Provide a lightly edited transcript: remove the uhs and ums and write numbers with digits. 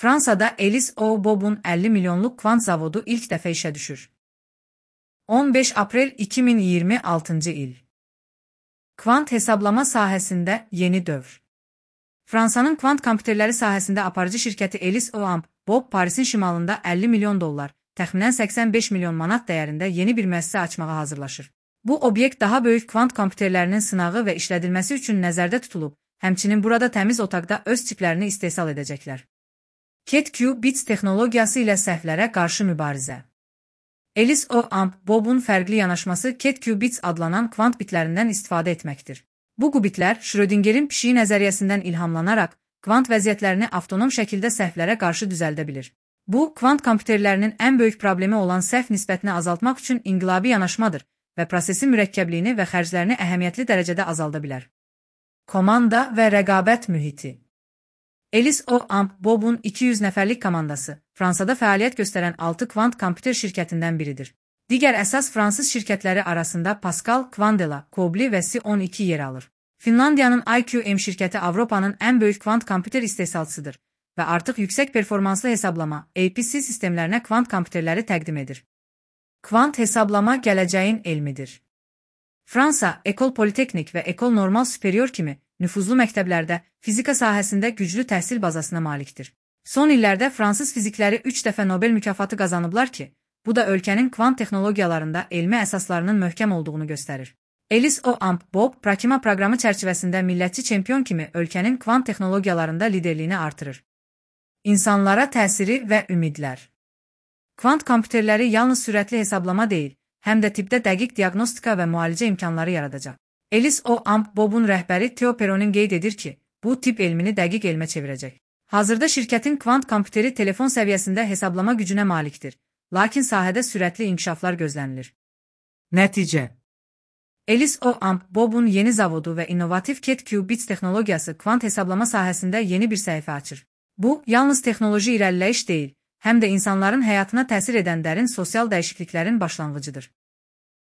Fransada Elis Bob'un 50 milyonluk kvant zavodu ilk dəfə işə düşür. 15 aprel 2026 il. Kvant hesablama sahəsində yeni dövr. Fransanın kvant kompüterləri sahəsində aparıcı şirkəti Elis Bob Parisin şimalında 50 milyon dollar, təxminən 85 milyon manat dəyərində yeni bir müəssisə açmağa hazırlaşır. Bu obyekt daha böyük kvant kompüterlərinin sınağı və işlədilməsi üçün nəzərdə tutulub, həmçinin burada təmiz otaqda öz çiplərini istehsal edəcəklər. Ket-Q-Bits texnologiyası ilə səhvlərə qarşı mübarizə. Elis Bob'un fərqli yanaşması Ket-Q-Bits adlanan kvant bitlərindən istifadə etməkdir. Bu qubitlər Schrödingerin pişiyi nəzəriyyəsindən ilhamlanaraq kvant vəziyyətlərini avtonom şəkildə səhvlərə qarşı düzəldə bilir. Bu, kvant kompüterlərinin ən böyük problemi olan səhv nisbətini azaltmaq üçün inqilabi yanaşmadır və prosesin mürəkkəbliyini və xərclərini əhəmiyyətli dərəcədə azalda bilər. Komanda və rəqabət mühiti. Elis Bob'un 200 nəfərlik komandası, Fransada fəaliyyət göstərən 6 kvant kompüter şirkətindən biridir. Digər əsas fransız şirkətləri arasında Pascal, Quandela, Kobli və Si-12 yer alır. Finlandiyanın IQM şirkəti Avropanın ən böyük kvant kompüter istehsalçısıdır və artıq yüksək performanslı hesablama (APC) sistemlərinə kvant kompüterləri təqdim edir. Kvant hesablama gələcəyin elmidir. Fransa, École Polytechnique və École Normale Supérieure kimi nüfuzlu məktəblərdə fizika sahəsində güclü təhsil bazasına malikdir. Son illərdə fransız fizikləri 3 dəfə Nobel mükafatı qazanıblar ki, bu da ölkənin kvant texnologiyalarında elmi əsaslarının möhkəm olduğunu göstərir. Elis Bob Prakima proqramı çərçivəsində millətçi çempion kimi ölkənin kvant texnologiyalarında liderliyini artırır. İnsanlara təsiri və ümidlər. Kvant kompüterləri yalnız sürətli hesablama deyil, həm də tibbdə dəqiq diaqnostika və müalicə imkanları yaradacaq. Elis Bob'un rəhbəri Theo Perronin qeyd edir ki, bu tibb elmini dəqiq elmə çevirəcək. Hazırda şirkətin kvant kompüteri telefon səviyyəsində hesablama gücünə malikdir, lakin sahədə sürətli inkişaflar gözlənilir. Nəticə. Elis Bob'un yeni zavodu və innovativ Ket-Q-Bits texnologiyası kvant hesablama sahəsində yeni bir səhifə açır. Bu, yalnız texnoloji irəliləyiş deyil, həm də insanların həyatına təsir edən dərin sosial dəyişikliklərin başlanğıcıdır.